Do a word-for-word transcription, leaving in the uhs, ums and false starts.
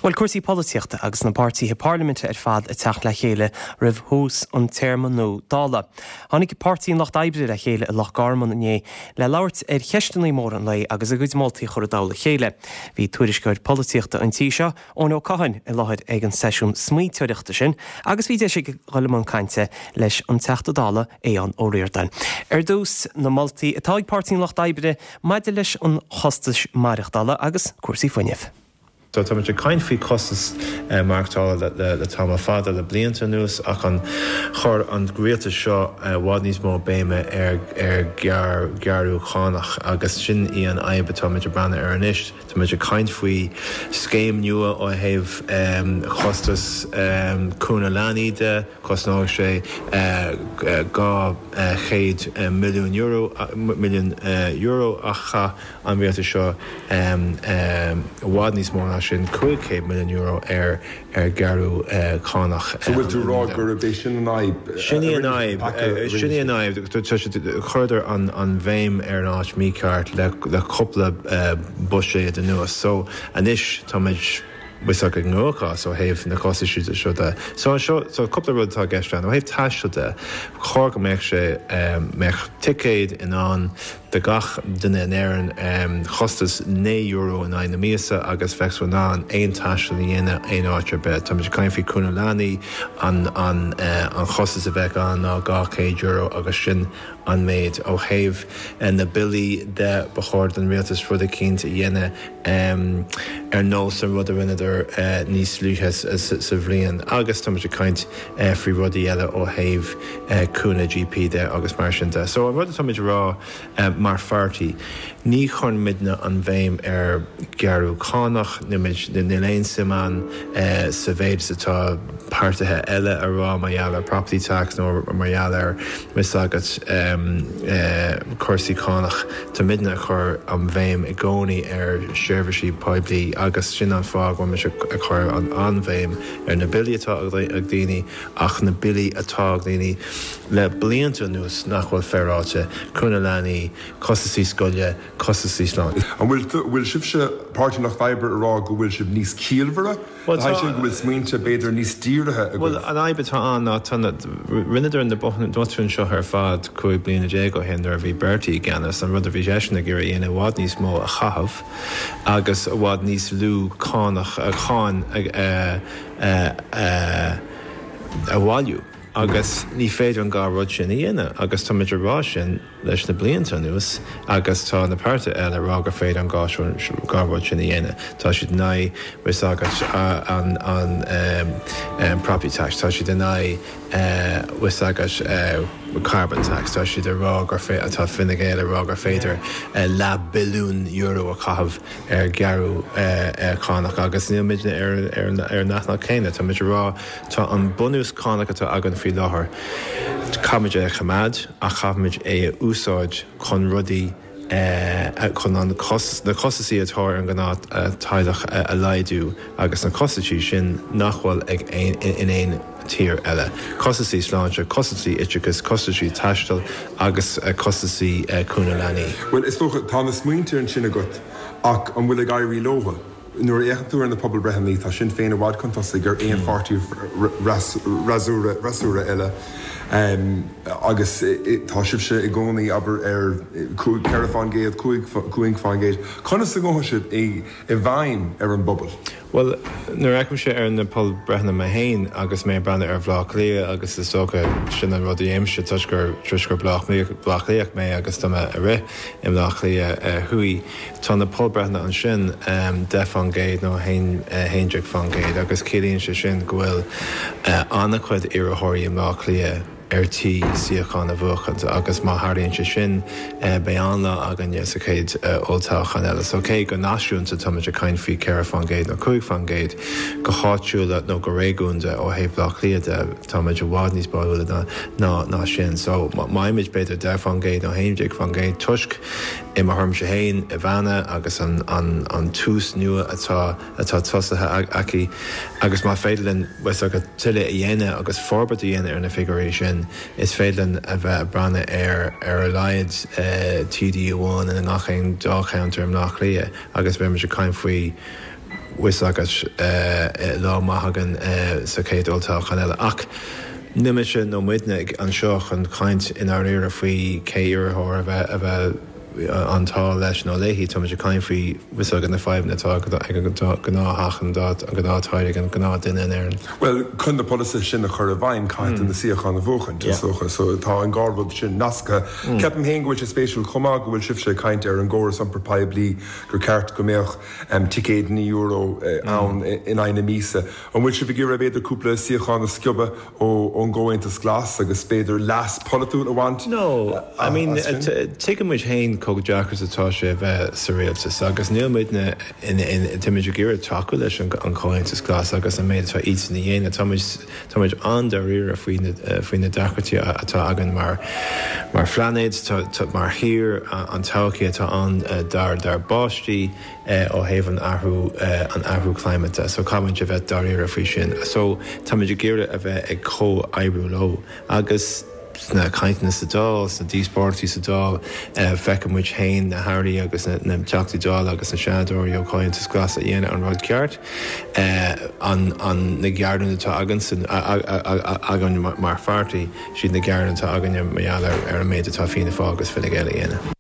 Bhuel cúrsaí polaitíochta agus na páirtithe parlaiminte ar fad ag teacht le chéile roimh thús an téarma nua Dála. Tháinig Páirtí an Lucht Oibre le chéile i Loch Garman inné le labhairt ar cheisteanna móra an lae agus a gcuid moltaí a chur i dtoll a chéile. Bhí tuairisceoir polaitíochta an tí seo Eoin Ó Catháin i láthair ag an seisiún smaointeoireachta sin agus bhí deis aige dul i mbun cainte leis an Teachta Dála Aodhán Ó Ríordáin. Ar dtús na moltaí atá ag Páirtí an Lucht Oibre maidir leis an chostas maireachtála agus cúrsaí fuinnimh. So tá muid ag caint faoi costas eh, maireachtála le, le tamall fada le blianta anuas ach an chuir an rialtas seo eh, i bhfad níos mó béime ar ar gear gearradh cánach agus sin í an fhadhb atá muid ag breathnú air anois. Tá muid ag caint faoi scéim nua ó thaobh um, chostas um, cúnamh leanaí de cosnóidh sé uh, dhá uh, chéad uh, milliún euro milliún uh, euro ach chaith an rialtas seo um, um, i bhfad níos mó ná sin cúig chéad milliún euro ar ar gearradh uh, cánach. So bhfuil tú rá gur é sin an fhadhb Sin í an fhadhb sin í an fhadhb chuireadar an an bhéim ar an áit mícheart le le cúpla uh, buiséad anuas. So anois tá muid ag gcruachás ó thaobh na costais seo de. So seo so cúpla rud atá i gceist ó thaobh taistil de chóir go mbeadh sé mbeadh ticéad in ann do gach duine in Éirinn um, chostas naoi euro in aghaidh na míosa agus bheadh in ann aon taisteal a dhéanamh aon áit ar bith. Tá muid ag caint faoi cúnamh leanaí an an uh, an chostas a bheith ann ná dhá chéad euro agus sin an méid ó thaobh uh, na billí de ba chóir don rialtas rud eicínt a dhéanamh um, ar nós an rud a rinneadar uh, níos luaithe sa bhliain agus tá ag caint uh, faoi rudaí eile ó thaobh uh, cúnamh GP de agus mar sin de. So an rud atá muid rá uh, mar pháirtí. Ní chuireann muidne an bhéim ar gearradh cánach níl aon suim againn uh, sa mhéid atá páirtithe eile a rá mar gheall ar property tax nó mar gheall ar mis agat um, uh, cúrsaí cánach Tá muidne ag cur an bhéim i gcónaí ar seirbhísí poiblí agus sin an fáth go ag chur an an-bhéim ar na billí atá ag daoine ach na billí atá ag daoine le blianta anuas nach bhfuil féaráilte cúnamh leanaí, costasaí scoile, costasaí sláinte. An bhfuil bhfuil sibhse Páirtí an Lucht Oibre a rá go bhfuil sibh níos ciallmhaire Well sé go bhfuil smaointe b'fhéidir níos dírithe Well an fhadhb atá ann ná rinneadar na botúin seo ar fad cúig bliana déag ó shin nuair a bhí Bertie i gceannas an rud a bhí seisean ag iarraidh i bhfad níos mó a chaitheamh agus i bhfad níos lú cánach a cháin a bhailiú. agus ní féidir an dá rud sin a dhéanamh agus tá muid ag rá sin leis na blianta anuas agus tá na páirtithe eile rá gur féidir an dá rud sin a dhéanamh. Tá siad in aghaidh agus an an um, property tax, tá siad in aghaidh uh, agus uh, carbon tax, tá siad ag rá gur atá Fine Gael ag rá gur féidir uh, leath billiún euro a chaitheamh ar gearradh uh, cánach agus níl muidne ar ar ar an leathanach céanna Tá muid rá tá an bunús cánach atá againn faoi láthair. Caithfimid é a choimeád ach caithfimid é a úsáid chun rudaí chun an na costasaí atá ar an ngnáth-teaghlach a laghdú agus na costasaí sin nach bhfuil ag in aon tír eile. Costasaí sláinte, costasaí oideachais, costasaí taistil agus costasaí cúnamh leanaí. Well is dócha tá na smaointe ansin agat ach an bhfuil ag éirí leo. Nuair a fhéachann tú ar na pobalbhreitheanna tá Sinn Féin i bhfad chun tosaigh ar aon pháirtí freasúra eile. Um, agus tá sibhse i gcónaí abair ar ceithre faoin gcéad cúig faoin gcéad. Conas a ghabhann sibh i bhfeidhm ar an bpobal. Well nuair a fhéachaimse ar na pobalbhreitheanna mé féin agus mé breathnú ar Bhleá Cliath agus is dócha sin an rud a dhéanaimse toisc gur toisc gur Bleá Cliathach mé agus tá mé ag rith i mBleá Cliath Thuaidh tá na pobalbhreitheanna ansin um, deich faoin gcéad nó haon déag faoin gcéad agus ciallaíonn sé sin go bhfuil uh, an-chuid iarrthóirí i mBleá Cliath ar tí suíochán a bhuachaint agus má tharlaíonn sé sin eh, beidh an-lá againne sa chéad eh, olltoghchán eile. So cé go náisiúnta tá muid ag caint faoi ceithre faoin gcéad nó cúig faoin gcéad go háitiúil nó go réigiúnda ó thaobh Bleá Cliath de tá muid i bhfad níos báúla ná ná ná sin. So maimid b'fhéidir deich faoin gcéad nó haon déag faoin gcéad toisc i mo thuairimse féin Ivana agus an, an, an tús nua atá atá tosaithe aici agus má féidir linn tuilleadh a dhéanamh agus forbairt a dhéanamh ar na figiúirí sin is féidir linn a bheith ag breathnú ar ar a laghad uh, TD amháin in gach aon dáilcheantar i mBleá Cliath agus beimid ag caint faoi bhfuil agat lá maith againn sa chéad olltoghchán eile. Ach níl mise nó muidne anseo chun caint i ndáiríre faoi cé iarrthóir a bheith a bheith an t-ádh leis nó léi, táimid ag caint faoi bhfuil agat na fadhbanna atá ag an gnáth an gnáth an gnáthdhuine in Éirinn. Well chun na polasaithe sin a chur i bhfeidhm caithfidh na suíocháin a bhuachan is so tá an dhá rud sin nasctha. Ceapaim féin go bhfuil sé spéisiúil chomh maith go bhfuil sibhse ag caint ar an gcóras iompar poiblí gur ceart go mbeadh um, ticéad naoi euro ann in aghaidh na míosa. An bhfuil sibh ag iarraidh b'fhéidir cúpla suíochán a sciobadh ón gComhaontas Glas agus b'fhéidir leas polaitiúil a bhaint? No, I mean tuigimid féin chomh deacair atá sé bheith sa rialtas agus níl muidne táimid ag iarraidh tacú leis an Chomhaontas Glas agus an méid atá iadsan a dhéanamh táimid an-dáiríre faoi na deacrachtaí atá againn mar mar phláinéad mar thír an todhchaí atá ann dár dár bpáistí ó thaobh an athrú an athrú climate so caithfimid a bheith dáiríre faoi sin so táimid ag iarraidh a bheith ag comhoibriú leo agus sna cainteanna sa Dáil, sna díospóireachtaí sa Dáil feicfidh muid féin na hairí agus na teachtaí Dála agus na seanadóirí ó Chomhaontas Glas a dhéanamh an rud ceart an an na gearáin atá againn againn mar pháirtí siad na gearáin atá againn mar gheall ar an méid atá Fianna Fáil agus Fine Gael a dhéanamh.